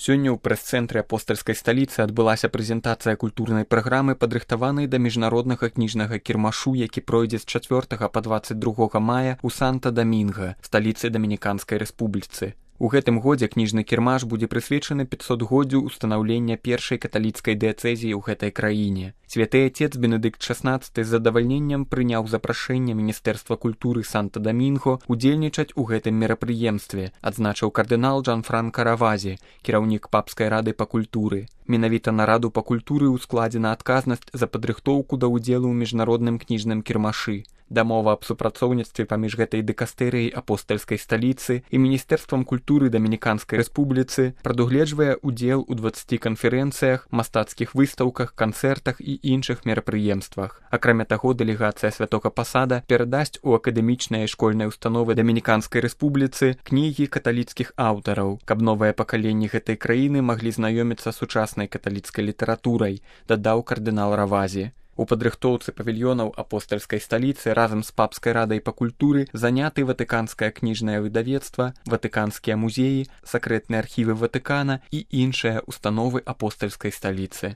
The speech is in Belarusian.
Сёння ў прэс-цэнтры апостальскай сталіцы адбылася прэзентацыя культурнай праграмы, падрыхтаванай да міжнароднага кніжнага кірмашу, які пройдзе з 4 па 22 мая ў Санта-Дамінга, сталіцы Дамініканскай рэспубліцы. У гэтым годзе кніжны кірмаш будзе прысвечаны 500годдзю ўстанаўлення першай каталіцкай дыяцэзіі ў гэтай краіне. Святы Отец Бенедыкт XVI з задавальненнем прыняў запрашэнне Міністэрства культуры Санта-Дамінго удзельнічаць у гэтым мерапрыемстве, адзначыў кардынал Джанфранка Равазі, кіраўнік папскай рады па культуры. Менавіта на раду па культуры ўскладзена адказнасць за падрыхтоўку да ўдзелу ў міжнародным кніжным кірмашы. Дамова аб супрацоўніцтве паміж гэтай дыкастэрыяй апостальскай сталіцы і Міністэрствам культуры Дамініканскай рэспубліцы прадугледжвае ўдзел у 20 канферэнцыях, мастацкіх выстаўках, канцэртах і іншых мерапрыемствах. Акрамя таго, дэлегацыя святога пасада перадасць у акадэмічныя і школьныя установы Дамініканскай рэспубліцы кнігі каталіцкіх аўтараў, каб новыя пакаленні гэтай краіны маглі знаёміцца з сучаснай каталіцкай літаратурай, дадаў кардынал Равазі. У падрыхтоўцы павільёнаў апостальскай сталіцы разам з папскай радай па культуры заняты ватыканскае кніжнае выдавецтва, ватыканскія музеі, сакрэтныя архівы Ватыкана і іншыя установы апостальскай сталіцы.